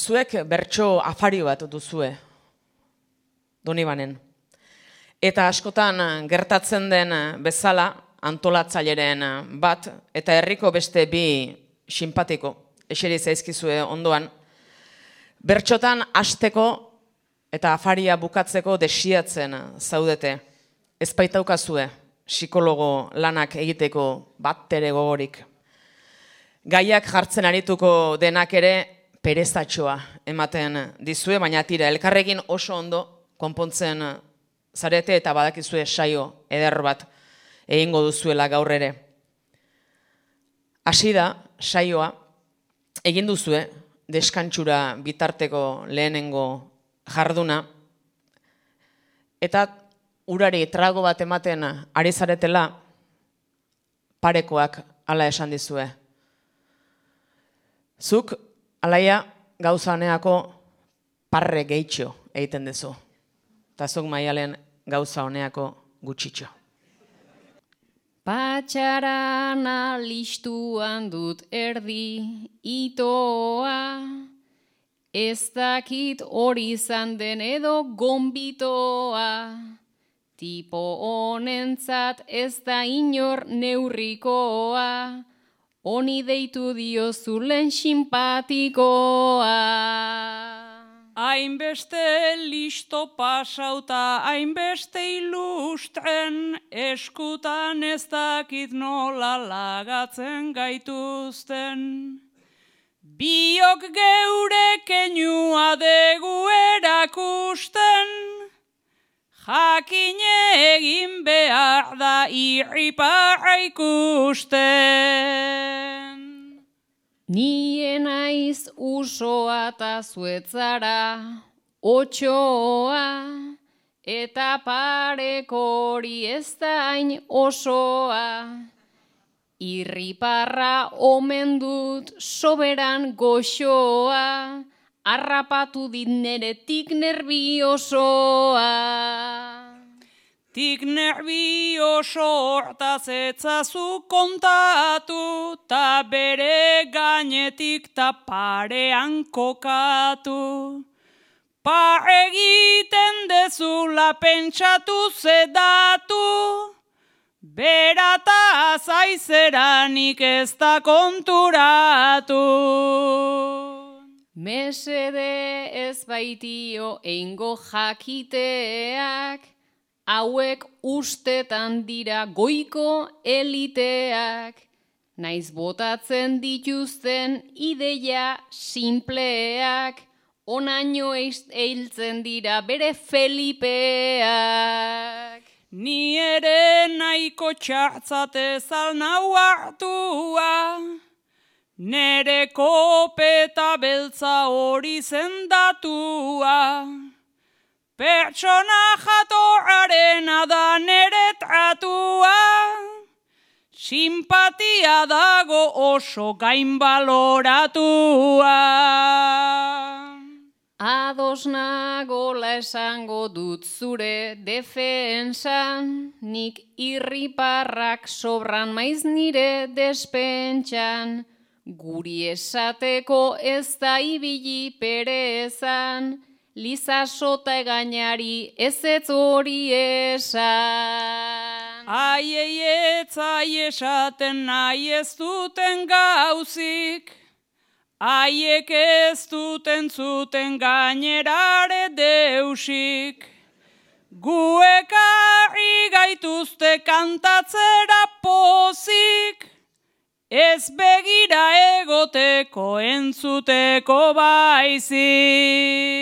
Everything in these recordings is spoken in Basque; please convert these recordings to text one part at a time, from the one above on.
zuek bertso afari bat duzue, Donibanen. Eta askotan gertatzen den bezala, antolatzaileren bat, eta herriko beste bi sinpatiko, eseri zaizkizue ondoan, bertxotan hasteko eta afaria bukatzeko desiatzen zaudete. Ez baitaukazue psikologo lanak egiteko bat ere gogorik. Gaiak jartzen arituko denak ere perezatxoa ematen dizue, baina tira, elkarrekin oso ondo konpontzen zarete eta badakizue saio eder bat egingo duzuela gaur ere. Hasi da saioa, egin duzue deskantxura bitarteko lehenengo jarduna, eta urari trago bat ematen ari zaretela parekoak hala esan dizue. Zuk, alaia, gauza honeako parre gehitxo egiten duzu. Eta zuk Maialen gauza honeako gutxitxo. Patxarana listuan dut erdi itoa, ez dakit hori izan den edo gonbitoa, tipo honentzat ez da inor neurrikoa, honi deitu diozulen simpatikoa. Hainbeste listo pasauta, hainbeste ilustren, eskutan ez dakit nola lagatzen gaituzten. Biok geure keinua degu erakusten, jakine egin behar da irriparra ikusten. Nien naiz usoa eta zuetzara otxoa, eta pareko hori ez da hain osoa. Irriparra omen dut soberan goxoa, harrapatu dit neretik nerviosoa. Tik nervioso hortaz etzazu kontatu, ta bere gainetik ta parean kokatu. Pa egiten dezula pentsatu zedatu, berata zaizeranik ez da konturatu. Mesede ez baitio eingo jakiteak, hauek ustetan dira goiko eliteak, naiz botatzen dituzten ideia simpleak, onaino eiltzen dira bere Felipeak. Ni ere nahiko txartzatez alnau hartua, nere kopeta beltza hori zendatua. Pertsona jatorrarena da nere tratua, simpatia dago oso gainbaloratua. Ados nagola esango dut zure defensan, nik irriparrak sobran maiz nire despentsan, guri esateko ez da ibili perezan, Liza sota egainari ez hori esan. Aieietzai esaten nahi ez duten gauzik, haiek ez duten zuten gainerare deusik. Guekarri gaituzte kantatzera pozik, ez begira egoteko entzuteko baizik.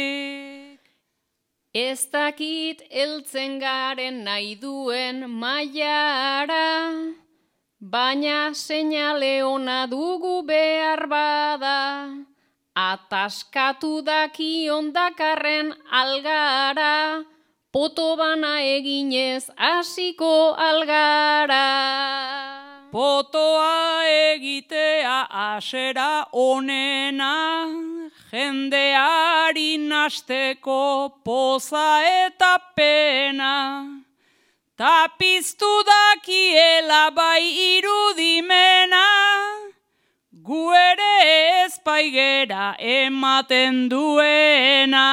Ez dakit heltzen garen nahi duen mailara, baina seinale ona dugu behar bada, ataskatu dakion dakarren algara, poto bana eginez hasiko algara. Potoa egitea asera onena, jendeari nasteko poza eta pena. Ta piztu dakiela bai irudimena, gu ere ezpaigera ematen duena.